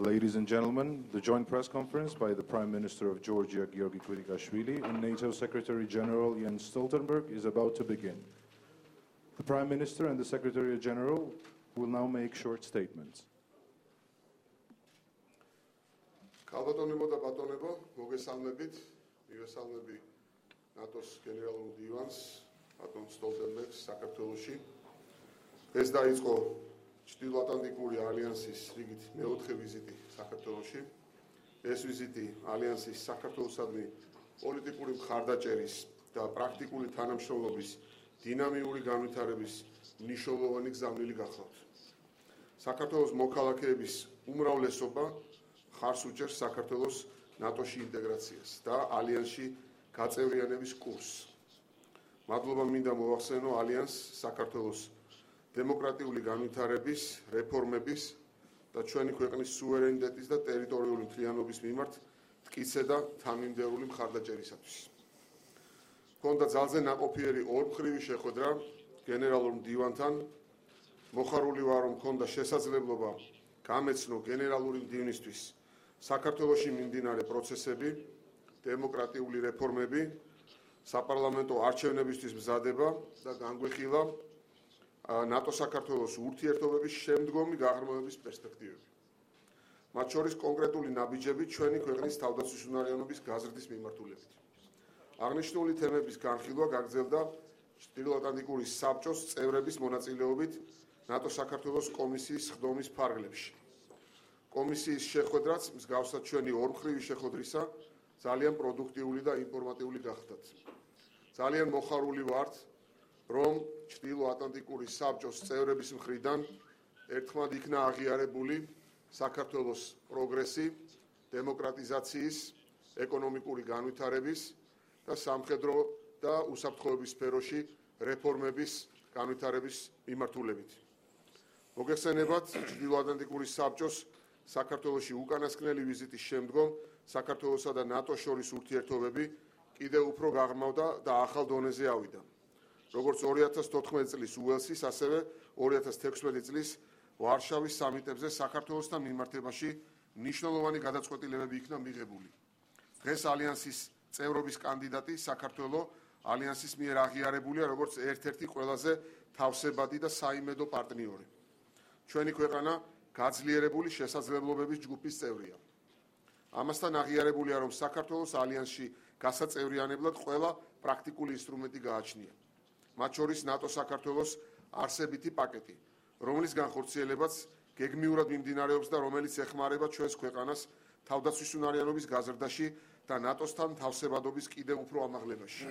Ladies and gentlemen, the joint press conference by the Prime Minister of Georgia, Giorgi Kvirikashvili, and NATO Secretary General Jens Stoltenberg is about to begin. The Prime Minister and the Secretary General will now make short statements. Kalbatonebo და ბატონებო, მოგესალმებით, მივესალმები ნატოს გენერალურ დივანს, ბატონ სტოლტენბერგს საქართველოში. ეს დაიწყო ჩრდილოატლანტიკური ალიანსის რიგით მეოთხე ვიზიტი საქართველოში. ეს ვიზიტი ალიანსის საქართველოსადმი პოლიტიკური მხარდაჭერის და პრაქტიკული თანამშრომლობის დინამიური განვითარების მნიშვნელოვანი გზავნილი გახლავთ. საქართველოს მოქალაქეების უმრავლესობა ხარს უჭერს საქართველოს ნატოში ინტეგრაციას და ალიანსში გაწევრიანების კურსს. მადლობა მინდა მოვახსენო ალიანსს საქართველოს დემოკრატიული განვითარების, რეფორმების და ჩვენი ქვეყნის სუვერენიტეტის და ტერიტორიული მთლიანობის მიმართ მტკიცე და თანმიმდევრული მხარდაჭერისათვის. ჰქონდა ძალზე ნაყოფიერი ორმხრივი შეხვედრა გენერალურ მდივანთან. მოხარული ვარ, რომ ჰქონდა შესაძლებლობა გამეცნო გენერალური მდივნისთვის საქართველოში მიმდინარე პროცესები, დემოკრატიული რეფორმები, საპარლამენტო არჩევნებისთვის მზადება და განგვეხილა ნატო-საქართველოს ურთიერთობების შემდგომი გაღრმავების პერსპექტივები. მათ შორის კონკრეტული ნაბიჯები ჩვენი ქვეყნის თავდაცვისუნარიანობის გაზრდის მიმართულებით. აღნიშნული თემების განხილვა გაგრძელდა ჩრდილოატლანტიკური საბჭოს წევრების მონაწილეობით ნატო-საქართველოს კომისიის ხდომის ფარგლებში. კომისიის შეხვედრაც მსგავსად ჩვენი ორმხრივი შეხვედრისა ძალიან პროდუქტიული და ინფორმატიული გახდათ. ძალიან მოხარული ვართ, რომ ჩრდილოატლანტიკური საბჭოს წევრების მხრიდან ერთხმად იქნა აღიარებული საქართველოს პროგრესი, დემოკრატიზაციის, ეკონომიკური განვითარების და სამხედრო და უსაფრთხოების სფეროში რეფორმების განვითარების მიმართულებით. მოგეხსენებათ, ჩრდილოატლანტიკური საბჭოს საქართველოში უკანასკნელი ვიზიტის შემდგომ საქართველოსა და ნატოს შორის ურთიერთობები კიდევ უფრო გაღრმავდა და ახალ დონეზე ავიდა. როგორც 2014 წლის უელსის, ასევე 2016 წლის ვარშავის სამიტებზე საქართველოსთან მიმართებაში მნიშვნელოვანი გადაწყვეტილებები იქნა მიღებული. დღეს ალიანსის წევრობის კანდიდატი საქართველო ალიანსის მიერ აღიარებულია როგორც ერთ-ერთი ყველაზე თავსებადი და საიმედო პარტნიორი. ჩვენი ქვეყანა გაძლიერებული შესაძლებლობების ჯგუფის წევრია. ამასთან აღიარებულია, რომ საქართველოს ალიანსში გასაწევრიანებლად ყველა პრაქტიკული ინსტრუმენტი გააჩნია. მათ შორის ნატო-საქართველოს არსებითი პაკეტი, რომლის განხორციელებაც გეგმიურად მიმდინარეობს და რომელიც ეხმარება ჩვენს ქვეყანას თავდაცვისუნარიანობის გაზრდაში და ნატოსთან თავსებადობის კიდევ უფრო ამაღლებაში.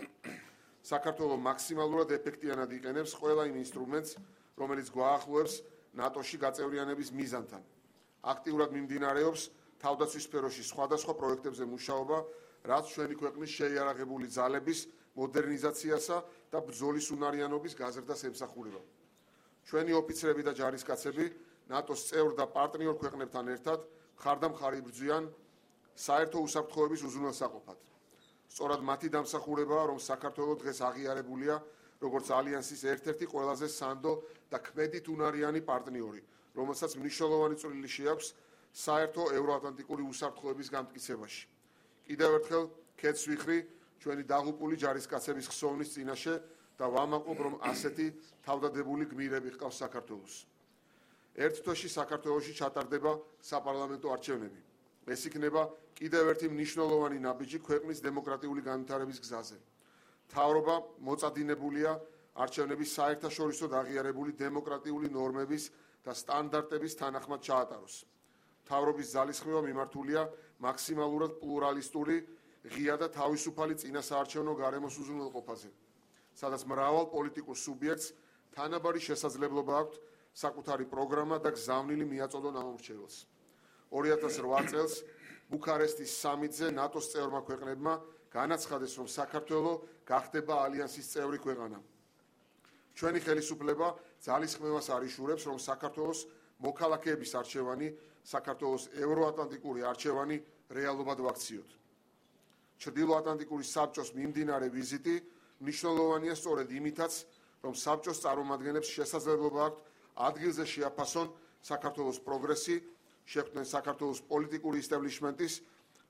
საქართველო მაქსიმალურად ეფექტიანად იყენებს ყველა იმ ინსტრუმენტს, რომელიც გვაახლოებს ნატოში გაწევრიანების მიზანთან. აქტიურად მიმდინარეობს თავდაცვის სფეროში სხვადასხვა პროექტებზე მუშაობა, რაც ჩვენი ქვეყნის შეიარაღებული ძალების მოდერნიზაციასა და ბრძოლის უნარიანობის გაზრდას ემსახურება. ჩვენი ოფიცრები და ჯარისკაცები ნატოს წევრ და პარტნიორ ქვეყნებთან ერთად მხარდამხარ იბრძვიან საერთო უსაფრთხოების უზრუნველსაყოფად. სწორად მათი დამსახურებაა, რომ საქართველო დღეს აღიარებულია როგორც ალიანსის ერთ-ერთი ყველაზე სანდო და ქმედით უნარიანი პარტნიორი, რომელსაც მნიშვნელოვანი წვლილი შეაქვს საერთო ევროატლანტიკური უსაფრთხოების გამტკიცებაში. კიდევ ერთხელ ქეთს ვიხრი ჩვენი დაღუპული ჯარისკაცების ხსოვნის წინაშე და ვამაყობ, რომ ასეთი თავდადებული გმირები ჰყავს საქართველოს. ერთ თვეში საქართველოში ჩატარდება საპარლამენტო არჩევნები. ეს იქნება კიდევ ერთი მნიშვნელოვანი ნაბიჯი ქვეყნის დემოკრატიული განვითარების გზაზე. მთავრობა მოწადინებულია არჩევნების საერთაშორისოდ აღიარებული დემოკრატიული ნორმების და სტანდარტების თანახმად ჩაატაროს. მთავრობის ძალისხმევა მიმართულია მაქსიმალურად პლურალისტური, ღია და თავისუფალი წინასაარჩევნო გარემოს უზრუნველყოფაზე, სადაც მრავალ პოლიტიკურ სუბიექტს თანაბარი შესაძლებლობა აქვთ საკუთარი პროგრამა და გზავნილი მიაწოდონ ამორჩეველს. 2008 წელს ბუქარესტის სამიტზე ნატოს წევრმა ქვეყნებმა განაცხადეს, რომ საქართველო გახდება ალიანსის წევრი ქვეყანა. ჩვენი ხელისუფლება ძალისხმევას არიშურებს, რომ საქართველოს მოქალაქეების არჩევანი, საქართველოს ევროატლანტიკური არჩევანი რეალობად ვაქციოთ. ჩრდილოატლანტიკური საბჭოს მიმდინარე ვიზიტი მნიშვნელოვანია სწორედ იმითაც, რომ საბჭოს წარმომადგენლებს შესაძლებლობა აქვთ ადგილზე შეაფასონ საქართველოს პროგრესი, შეხვდნენ საქართველოს პოლიტიკური ისტაბლიშმენტის,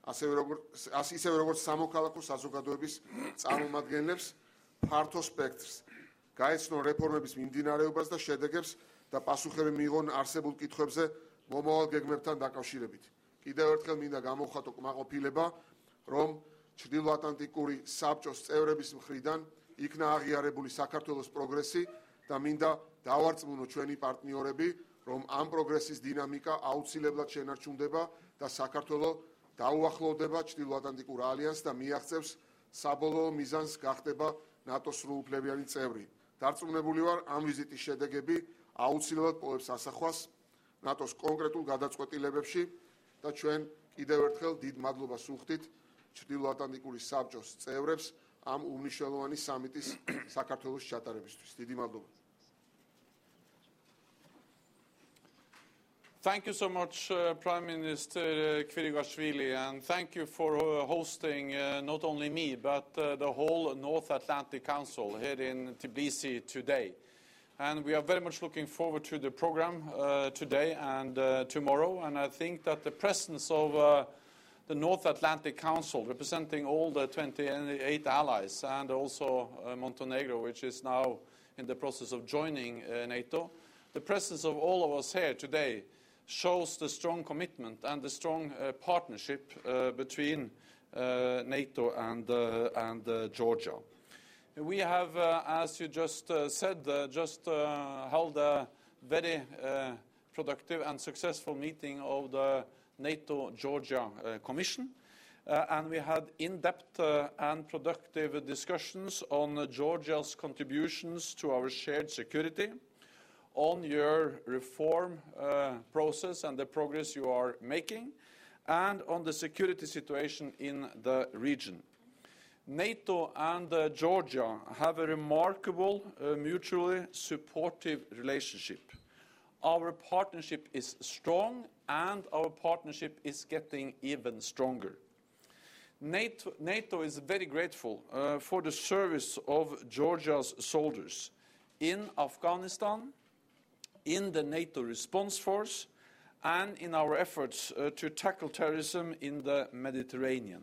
ისევე როგორც სამოქალაქო საზოგადოების წარმომადგენლებს ფართო სპექტრს, გაეცნონ რეფორმების მიმდინარეობას და შედეგებს და პასუხები მიიღონ არსებულ კითხვებზე მომავალ გეგმებთან დაკავშირებით. კიდევ ერთხელ მინდა გამოვხატო კმაყოფილება, რომ ჩრდილოატლანტიკური საბჭოს წევრების მხრიდან იქნა აღიარებული საქართველოს პროგრესი და მინდა დავარწმუნო ჩვენი პარტნიორები, რომ ამ პროგრესის დინამიკა აუცილებლად შენარჩუნდება და საქართველო დაუახლოვდება ჩრდილოატლანტიკურ ალიანსს და მიაღწევს საბოლოო მიზანს გახდება ნატოს სრულუფლებიანი წევრი. დარწმუნებული ვარ, ამ ვიზიტის შედეგები აუცილებლად პოვებს ასახვას ნატოს კონკრეტულ გადაწყვეტილებებში და ჩვენ კიდევ ერთხელ დიდ მადლობას ვუხდით ჩრდილოატლანტიკური საბჭოს წევრებს ამ უმნიშვნელოვანი სამიტის საქართველოს ჩატარებისთვის. დიდი მადლობა. Thank you so much, Prime Minister Kvirigashvili, and thank you for hosting not only me, but the whole North Atlantic Council here in Tbilisi today. And we are very much looking forward to the program today and tomorrow, and I think that the presence of the North Atlantic Council, representing all the 28 allies, and also Montenegro, which is now in the process of joining NATO, the presence of all of us here today shows the strong commitment and the strong partnership between NATO and Georgia. We have, as you just said, held a very productive and successful meeting of the NATO-Georgia Commission, and we had in-depth and productive discussions on Georgia's contributions to our shared security, on your reform process and the progress you are making, and on the security situation in the region. NATO and Georgia have a remarkable, mutually supportive relationship. Our partnership is strong, and our partnership is getting even stronger. NATO is very grateful for the service of Georgia's soldiers in Afghanistan, in the NATO response force, and in our efforts to tackle terrorism in the Mediterranean.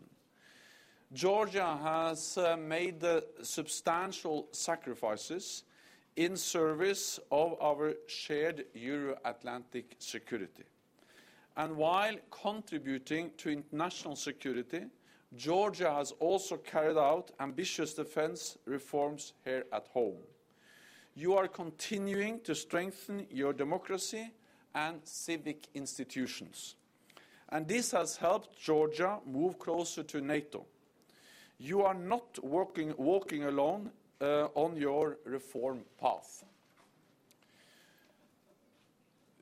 Georgia has made substantial sacrifices in service of our shared Euro-Atlantic security. And while contributing to international security, Georgia has also carried out ambitious defense reforms here at home. You are continuing to strengthen your democracy and civic institutions. And this has helped Georgia move closer to NATO. You are not walking alone on your reform path.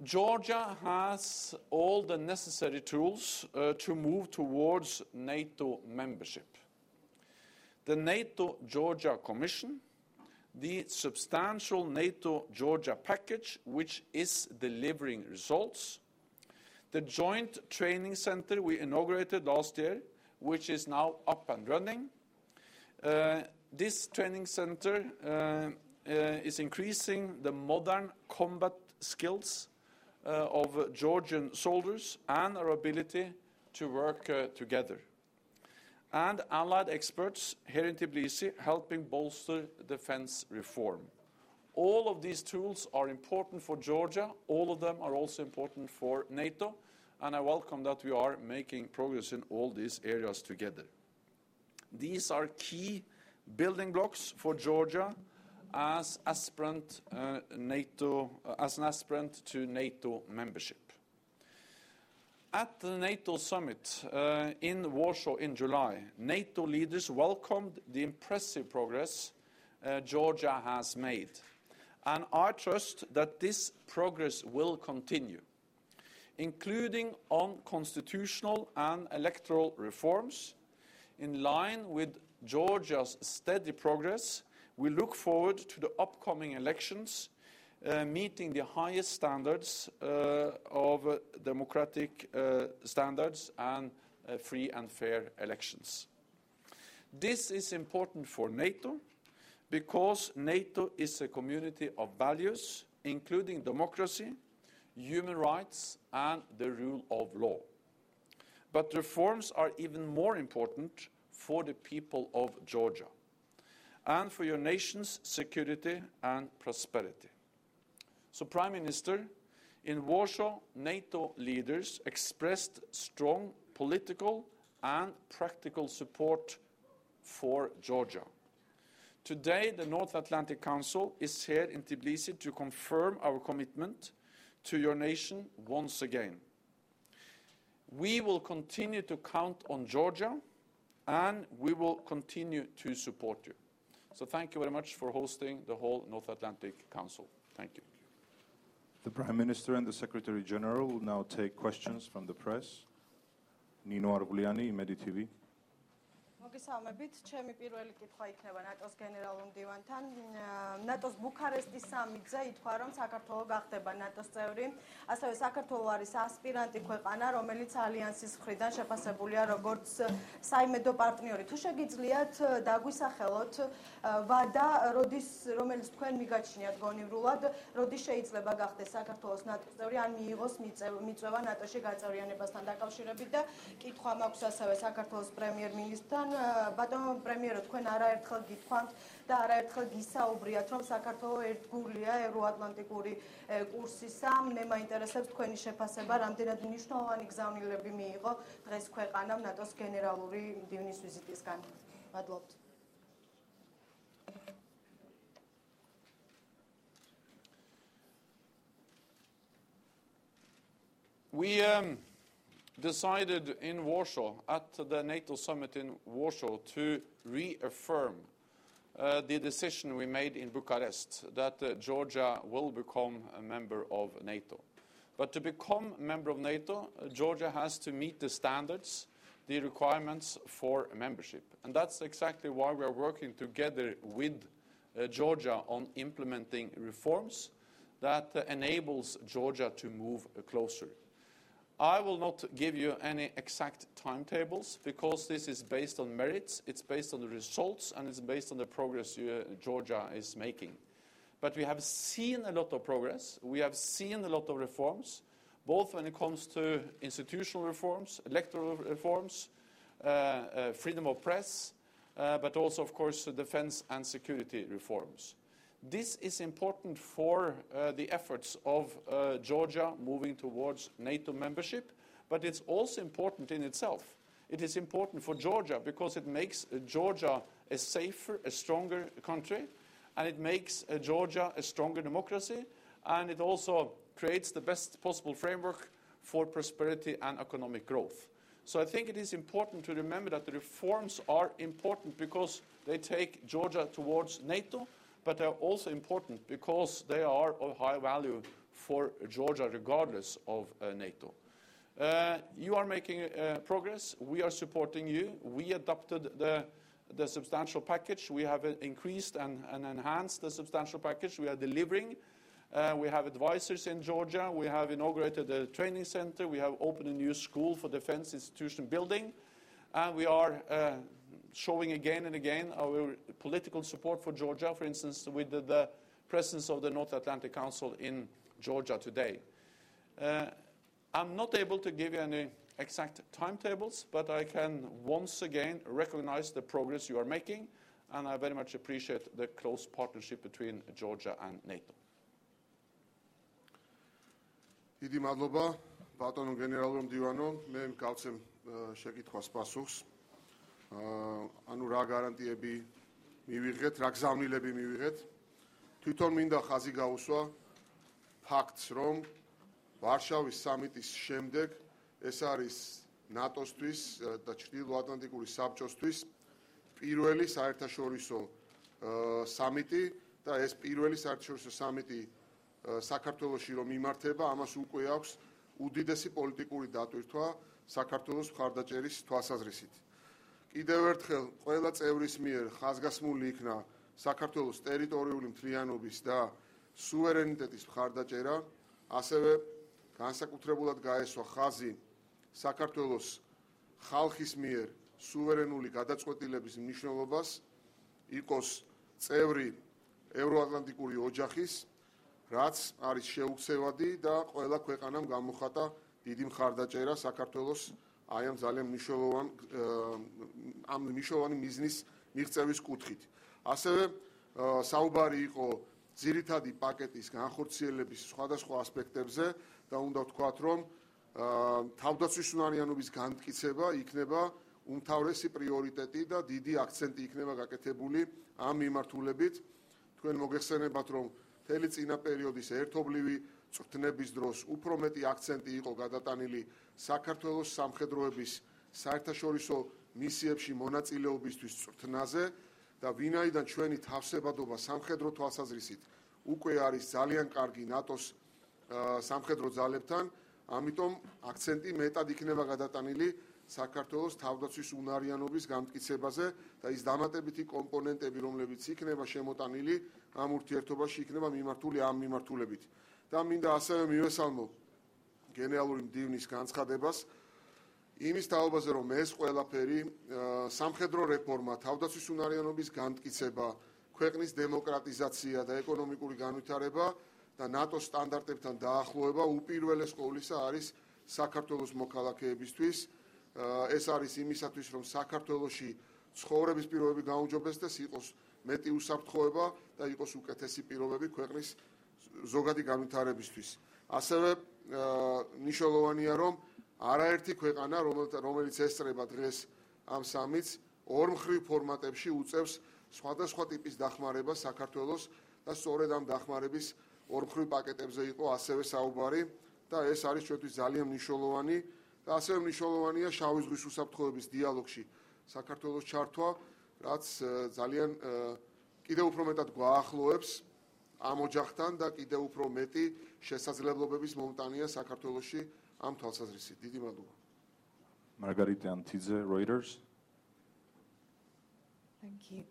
Georgia has all the necessary tools to move towards NATO membership. The NATO-Georgia Commission, the substantial NATO-Georgia package, which is delivering results, the joint training center we inaugurated last year, which is now up and running. This training center is increasing the modern combat skills of Georgian soldiers and our ability to work together. And allied experts here in Tbilisi helping bolster defense reform. All of these tools are important for Georgia. All of them are also important for NATO. And I welcome that we are making progress in all these areas together. These are key building blocks for Georgia as an aspirant to NATO membership. At the NATO summit in Warsaw in July, NATO leaders welcomed the impressive progress Georgia has made. And I trust that this progress will continue, including on constitutional and electoral reforms. In line with Georgia's steady progress, we look forward to the upcoming elections, meeting the highest standards of democratic standards and free and fair elections. This is important for NATO because NATO is a community of values, including democracy, human rights, and the rule of law. But reforms are even more important for the people of Georgia and for your nation's security and prosperity. So, Prime Minister, in Warsaw, NATO leaders expressed strong political and practical support for Georgia. Today, the North Atlantic Council is here in Tbilisi to confirm our commitment to your nation once again. We will continue to count on Georgia, and we will continue to support you. So thank you very much for hosting the whole North Atlantic Council. Thank you. The Prime Minister and the Secretary General will now take questions from the press. Nino Arbuliani, MEDI-TV. მოგესალმებით, ჩემი პირველი კითხვა იქნება ნატოს გენერალურ მდივანთან. ნატოს ბუქარესტის სამიტზე ითქვა, რომ საქართველო გახდება ნატოს წევრი. ასევე საქართველო არის ასპირანტი ქვეყანა, რომელიც ალიანსის მხრიდან შეფასებულია როგორც საიმედო პარტნიორი. თუ შეგიძლიათ დაგვისახელოთ ვადა, რომელიც თქვენ მიგაჩნიათ გონივრულად, როდის შეიძლება გახდეს საქართველოს ნატოს წევრი, ან მიიღოს მიწვევა ნატოში გაწევრიანებასთან დაკავშირებით და კითხვა მაქვს ასევე საქართველოს პრემიერ-მინისტრთან. ბატონო პრემიერო, თქვენ არაერთხელ გითქვამთ და არაერთხელ გისაუბრიათ, რომ საქართველო ერთგულია ევროატლანტიკური კურსისა. მე მაინტერესებს თქვენი შეფასება, რამდენად მნიშვნელოვანი გზავნილები მიიღო დღეს ქვეყანამ ნატოს გენერალური მდივნის ვიზიტისგან. მადლობთ. We decided in Warsaw, at the NATO summit in Warsaw, to reaffirm the decision we made in Bucharest that Georgia will become a member of NATO. But to become a member of NATO, Georgia has to meet the standards, the requirements for membership. And that's exactly why we are working together with Georgia on implementing reforms that enables Georgia to move closer. I will not give you any exact timetables because this is based on merits, it's based on the results, and it's based on the progress Georgia is making. But we have seen a lot of progress, we have seen a lot of reforms, both when it comes to institutional reforms, electoral reforms, freedom of press, but also, of course, defense and security reforms. This is important for the efforts of Georgia moving towards NATO membership, but it's also important in itself. It is important for Georgia because it makes Georgia a safer, a stronger country, and it makes Georgia a stronger democracy, and it also creates the best possible framework for prosperity and economic growth. So I think it is important to remember that the reforms are important because they take Georgia towards NATO, but they are also important because they are of high value for Georgia regardless of NATO. You are making progress. We are supporting you. We adopted the substantial package. We have increased and enhanced the substantial package. We are delivering. We have advisors in Georgia. We have inaugurated a training center. We have opened a new school for defense institution building. And we are showing again and again our political support for Georgia, for instance, with the presence of the North Atlantic Council in Georgia today. I'm not able to give you any exact timetables, but I can once again recognize the progress you are making, and I very much appreciate the close partnership between Georgia and NATO. დიდი მადლობა, ბატონო გენერალურ მდივანო, მე მკაცემ შეკითხვას პასუხს. ანუ რა გარანტიები მივიღეთ, რა გზავნილები მივიღეთ. თვითონ მინდა ხაზი გაუსვა ფაქტს, რომ ვარშავის სამიტის შემდეგ ეს არის ნატოსთვის და ჩრდილოატლანტიკური საბჭოსთვის პირველი საერთაშორისო სამიტი და ეს პირველი საერთაშორისო სამიტი საქართველოში რომ იმართება, ამას უკვე აქვს უდიდესი პოლიტიკური დატვირთვა საქართველოს მხარდაჭერის თვალსაზრისით. კიდევ ერთხელ ყველა წევრის მიერ ხაზგასმული იქნა საქართველოს ტერიტორიული მთლიანობის და სუვერენიტეტის მხარდაჭერა, ასევე განსაკუთრებულად გაესვა ხაზი საქართველოს ხალხის მიერ სუვერენული გადაწყვეტილების მნიშვნელობას, იყოს წევრი ევროატლანტიკური ოჯახის რაც არის შეუცევადი და ყველა ქვეყანამ გამოხატა დიდი მხარდაჭერა საქართველოს აი ამ ძალიან მნიშვნელოვანი მიზნის მიღწევის კუთხით. ასევე საუბარი იყო ძირითადი პაკეტის განხორციელების სხვადასხვა ასპექტებზე და უნდა ვთქვათ, რომ თავდაცვის უნარიანობის განმტკიცება იქნება უმთავრესი პრიორიტეტი და დიდი აქცენტი იქნება გაკეთებული ამ მიმართულებით. თქვენ მოგეხსენებათ, რომ მთელი წინა პერიოდის ერთობლივი წვრთნების დროს უფრო მეტი აქცენტი იყო გადატანილი საქართველოს სამხედროების საერთაშორისო მისიებში მონაწილეობისთვის წვრთნაზე და ვინაიდან ჩვენი თავსებადობა სამხედრო თვალსაზრისით უკვე არის ძალიან კარგი ნატოს სამხედრო ძალებთან, ამიტომ აქცენტი მეტად იქნება გადატანილი საქართველოს თავდაცვის უნარიანობის განმტკიცებაზე და ის დამატებითი კომპონენტები, რომლებიც იქნება შემოტანილი ამ ურთიერთობაში, იქნება მიმართული ამ მიმართულებით. და მინდა ასევე მივესალმო გენერალური მდივნის განცხადებას იმის თაობაზე, რომ ეს ყველაფერი სამხედრო რეფორმა, თავდაცვის უნარიანობის განმტკიცება, ქვეყნის დემოკრატიზაცია და ეკონომიკური განვითარება და ნატოს სტანდარტებთან დაახლოება უპირველეს ყოვლისა არის საქართველოს მოქალაქეებისთვის. ეს არის იმისათვის, რომ საქართველოში ცხოვრების პირობები გაუმჯობესდეს, იყოს მეტი უსაფრთხოება და იყოს უკეთესი პირობები ქვეყნის ზოგადი განვითარებისთვის. ასევე მნიშვნელოვანია, რომ არაერთი ქვეყანა, რომელიც ესწრება დღეს ამ სამიტს, ორმხრივ ფორმატებში უწევს სხვადასხვა ტიპის დახმარებას საქართველოს და სწორედ ამ დახმარების ორმხრივ პაკეტებზე იყო ასევე საუბარი და ეს არის ჩვენთვის ძალიან მნიშვნელოვანი და ასევე მნიშვნელოვანია შავი ზღვის უსაფრთხოების დიალოგში საქართველოს ჩართვა, რაც ძალიან კიდევ უფრო მეტად გვაახლოებს ამ ოჯახთან და კიდევ უფრო მეტი შესაძლებლობების მომტანია საქართველოში ამ თვალსაზრისით. დიდი მადლობა. Margarita Antidze, Reuters. Thank you.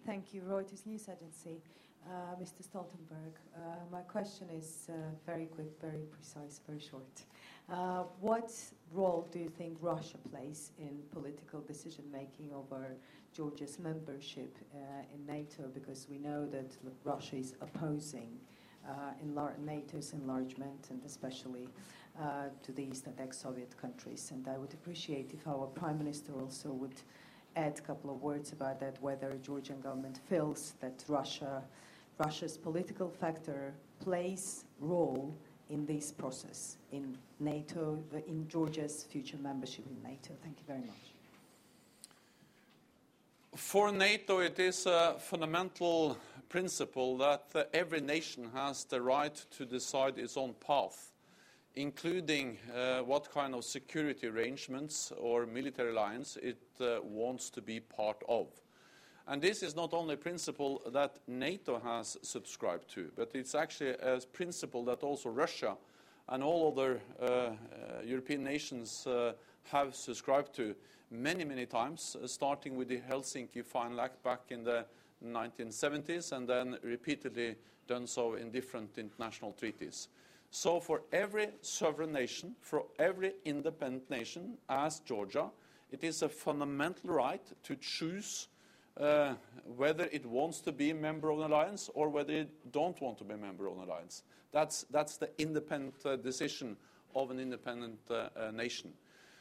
Thank you, Reuters News Agency. Mr. Stoltenberg, my question is very quick, very precise, very short. What role do you think Russia plays in political decision-making over Georgia's membership in NATO? Because we know that Russia is opposing NATO's enlargement and especially to the East and ex-Soviet countries. And I would appreciate if our Prime Minister also would add a couple of words about that, whether the Georgian government feels that Russia's political factor plays role in this process, in NATO, in Georgia's future membership in NATO. Thank you very much. For NATO, it is a fundamental principle that every nation has the right to decide its own path, including what kind of security arrangements or military alliance it wants to be part of. And this is not only a principle that NATO has subscribed to, but it's actually a principle that also Russia and all other European nations have subscribed to many, many times, starting with the Helsinki Final Act back in the 1970s and then repeatedly done so in different international treaties. So for every sovereign nation, for every independent nation, as Georgia, it is a fundamental right to choose whether it wants to be a member of an alliance or whether it don't want to be a member of an alliance. That's the independent decision of an independent nation.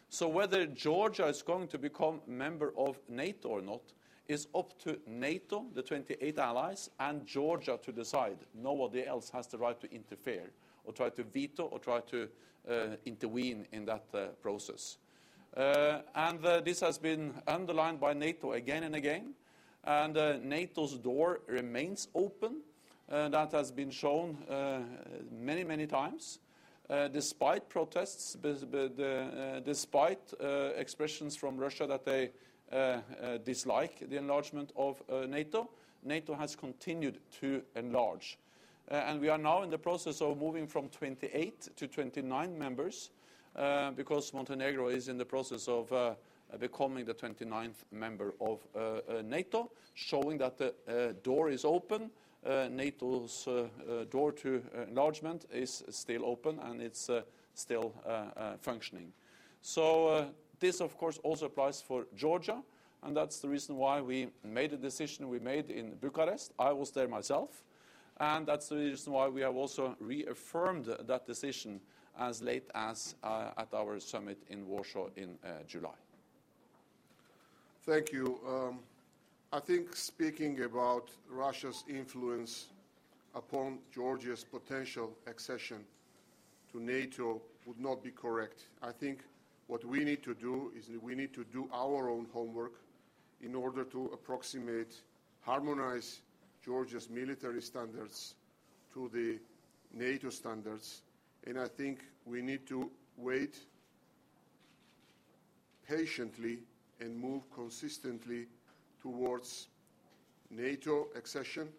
So whether Georgia is going to become a member of NATO or not is up to NATO, the 28 allies, and Georgia to decide. Nobody else has the right to interfere or try to veto or try to intervene in that process. And this has been underlined by NATO again and again. And NATO's door remains open. That has been shown many, many times, despite protests, despite expressions from Russia that they dislike the enlargement of NATO. NATO has continued to enlarge. And we are now in the process of moving from 28 to 29 members because Montenegro is in the process of becoming the 29th member of NATO, showing that the door is open. NATO's door to enlargement is still open and it's still functioning. So this, of course, also applies for Georgia, and that's the reason why we made the decision we made in Bucharest. I was there myself. And that's the reason why we have also reaffirmed that decision as late as at our summit in Warsaw in July. Thank you. I think speaking about Russia's influence upon Georgia's potential accession to NATO would not be correct. I think what we need to do is we need to do our own homework in order to approximate, harmonize Georgia's military standards to the NATO standards. And I think we need to wait patiently and move consistently towards NATO accession.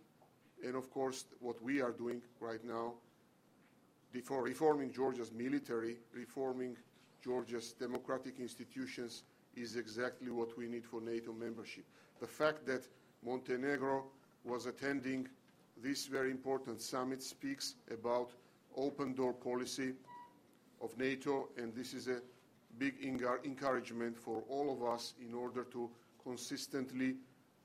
And of course, what we are doing right now, before reforming Georgia's military, reforming Georgia's democratic institutions is exactly what we need for NATO membership. The fact that Montenegro was attending this very important summit speaks about open door policy of NATO, and this is a big encouragement for all of us in order to consistently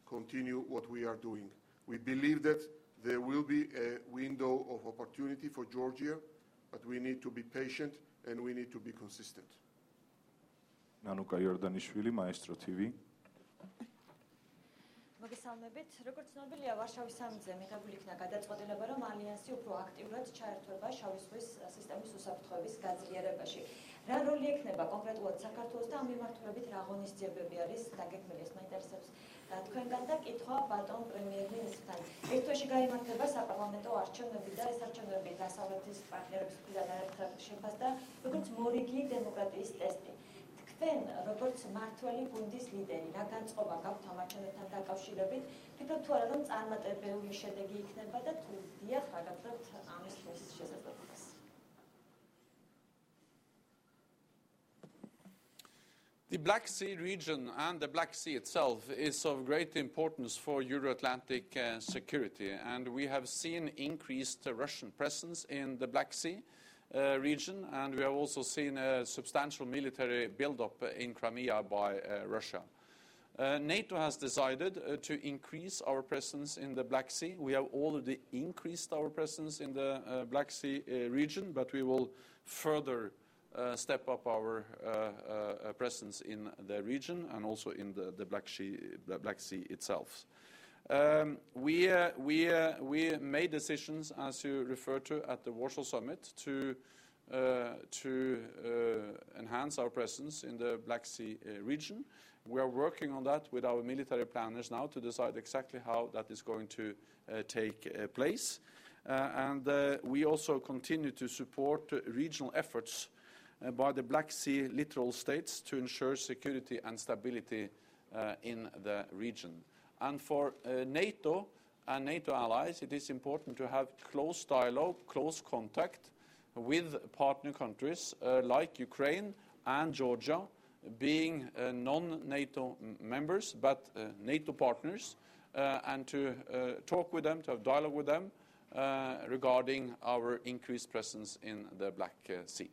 continue what we are doing. We believe that there will be a window of opportunity for Georgia, but we need to be patient and we need to be consistent. Nanuka Iordanishvili, Maestro TV. მოგესალმებით. როგორც ცნობილია, ვარშავის სამიტზე მიღებული იქნა გადაწყვეტილება, რომ ალიანსი უფრო აქტიურად ჩაერთვება შავი ზღვის სისტემის უსაფრთხოების გაძლიერებაში. რა როლი ექნება კონკრეტულად საქართველოს და ამ მიმართულებით რა ღონისძიებები არის დაგეგმილი? ეს მაინტერესებს თქვენგან და კითხვა ბატონ პრემიერ-მინისტრთან. ერთ თვეში გაიმართება საპარლამენტო არჩევნები და ეს არჩევნები დასავლეთის პარტნიორების მხრიდან არაერთხელ შეფასდა როგორც მორიგი დემოკრატიის ტესტი. თქვენ როგორც მართველი გუნდის ლიდერი, რა განწყობა გაქვთ ამ არჩევნებთან დაკავშირებით? ფიქრობთ თუ არა, რომ წარმატებული შედეგი იქნება და თუ დიახ, რა გაგრძელებთ ამისთვის შესაძლებლობას? The Black Sea region and the Black Sea itself is of great importance for Euro-Atlantic security, and we have seen increased Russian presence in the Black Sea region, and we have also seen a substantial military build-up in Crimea by Russia. NATO has decided to increase our presence in the Black Sea. We have already increased our presence in the Black Sea region, but we will further step up our presence in the region and also in the Black Sea itself. We made decisions, as you referred to, at the Warsaw Summit to enhance our presence in the Black Sea region. We are working on that with our military planners now to decide exactly how that is going to take place. And we also continue to support regional efforts by the Black Sea littoral states to ensure security and stability in the region. And for NATO and NATO allies, it is important to have close dialogue, close contact with partner countries like Ukraine and Georgia, being non-NATO members but NATO partners, and to talk with them, to have dialogue with them regarding our increased presence in the Black Sea.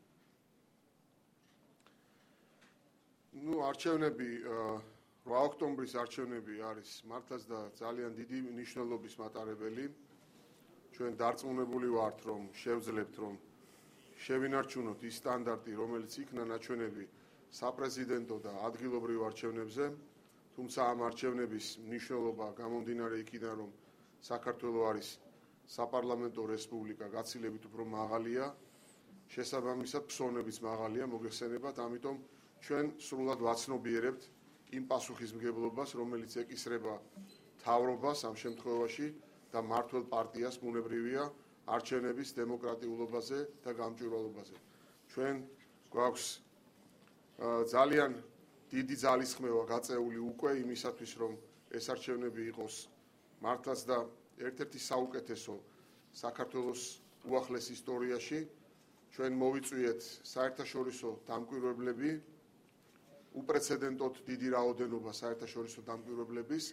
არჩევნები 8 ოქტომბრის არჩევნები არის მართლაც და ძალიან დიდი მნიშვნელობის მატარებელი. ჩვენ დარწმუნებული ვართ, რომ შევძლებთ, რომ შევინარჩუნოთ ის სტანდარტი, რომელიც იქნა ნაჩვენები საპრეზიდენტო და ადგილობრივ არჩევნებზე. თუმცა ამ არჩევნების მნიშვნელობა გამომდინარე იქიდან, რომ საქართველოს არის საპარლამენტო რესპუბლიკა, გაცილებით უფრო მაღალია, შესაბამისად ფსონებიც მაღალია, მოგეხსენებათ, ამიტომ ჩვენ სრულად ვაცნობიერებთ იმ პასუხისმგებლობას, რომელიც ეკისრება მთავრობას ამ შემთხვევაში და მმართველ პარტიას ბუნებრივია არჩევნების დემოკრატიულობაზე და გამჭვირვალობაზე. ჩვენ გვაქვს ძალიან დიდი ძალისხმევა გაწეული უკვე იმისათვის, რომ ეს არჩევნები იყოს მართლაც და ერთ-ერთი საუკეთესო საქართველოს უახლეს ისტორიაში. ჩვენ მოვიწვიეთ საერთაშორისო დამკვირვებლები, უპრეცედენტოდ დიდი რაოდენობა საერთაშორისო დამკვირვებლების,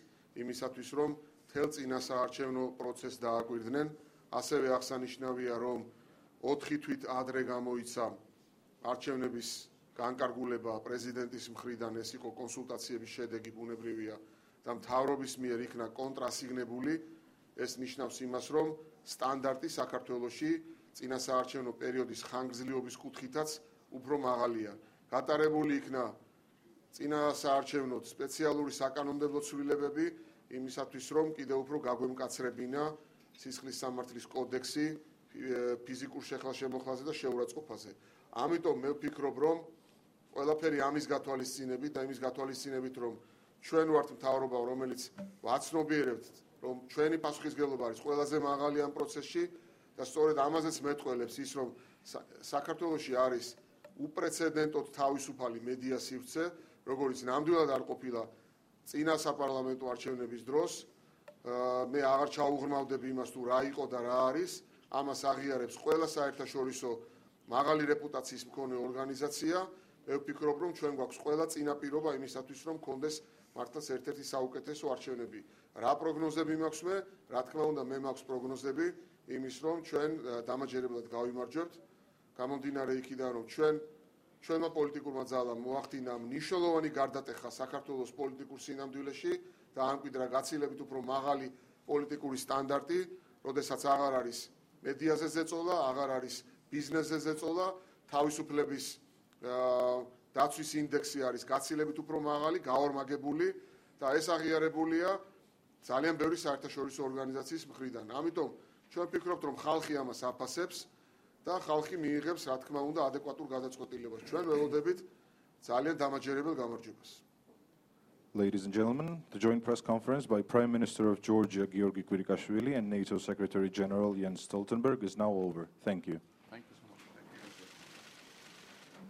იმისათვის, რომ მთელ წინასაარჩევნო პროცესს დააკვირდნენ. ასევე აღსანიშნავია, რომ 4 თვით ადრე გამოიცა არჩევნების განკარგულება პრეზიდენტის მხრიდან, ეს იყო კონსულტაციების შედეგი ბუნებრივია და მთავრობის მიერ იქნა კონტრასიგნებული. ეს ნიშნავს იმას, რომ სტანდარტი საქართველოში წინასაარჩევნო პერიოდის ხანგრძლივობის კუთხითაც უფრო მაღალია. გატარებული იქნა წინასაარჩევნო სპეციალური საკანონმდებლო ცვლილებები იმისათვის, რომ კიდევ უფრო გაგვემკაცრებინა სისხლის სამართლის კოდექსი ფიზიკურ შეხლა-შემოხლაზე და შეურაცხყოფაზე. ამიტომ მე ვფიქრობ, რომ ყველაფერი ამის გათვალისწინებით და იმის გათვალისწინებით, რომ ჩვენ ვართ მთავრობა, რომელიც ვაცნობიერებთ, რომ ჩვენი პასუხისმგებლობა არის ყველაზე მაღალი ამ პროცესში და სწორედ ამაზეც მეტყველებს ის, რომ საქართველოში არის უპრეცედენტოდ თავისუფალი მედია სივრცე, როგორც ნამდვილად არ ყოფილა წინა საპარლამენტო არჩევნების დროს. მე აღარ ჩაუღრმავდები იმას, თუ რა იყო და რა არის. ამას აღიარებს ყველა საერთაშორისო მაღალი რეპუტაციის მქონე ორგანიზაცია. მე ვფიქრობ, რომ ჩვენ გვაქვს ყველა წინაპირობა იმისათვის, რომ გქონდეს მართლაც ერთ-ერთი საუკეთესო არჩევნები. რა პროგნოზები მაქვს მე? რა თქმა უნდა, მე მაქვს პროგნოზები იმის, რომ ჩვენ დამაჯერებლად გავიმარჯვებთ. გამომდინარე იქიდან, რომ ჩვენმა პოლიტიკურმა ძალამ მოახდინა მნიშვნელოვანი გარდატეხა საქართველოს პოლიტიკურ სინამდვილეში და ამკვიდრა გაცილებით უფრო მაღალი პოლიტიკური სტანდარტი, როდესაც აღარ არის მედიაზე ზეწოლა, აღარ არის ბიზნესზე ზეწოლა, თავისუფლების დაცვის ინდექსი არის გაცილებით უფრო მაღალი, გაორმაგებული და ეს აღიარებულია ძალიან ბევრი საერთაშორისო ორგანიზაციის მხრიდან. ამიტომ ჩვენ ვფიქრობთ, რომ ხალხი ამას აფასებს და ხალხი მიიღებს, რა თქმა უნდა, ადეკვატურ გადაწყვეტილებას. ჩვენ ველოდებით ძალიან დამაჯერებელ გამარჯვებას. Ladies and gentlemen, the joint press conference by Prime Minister of Georgia, Georgi Kvirikashvili, and NATO Secretary General Jens Stoltenberg is now over. Thank you.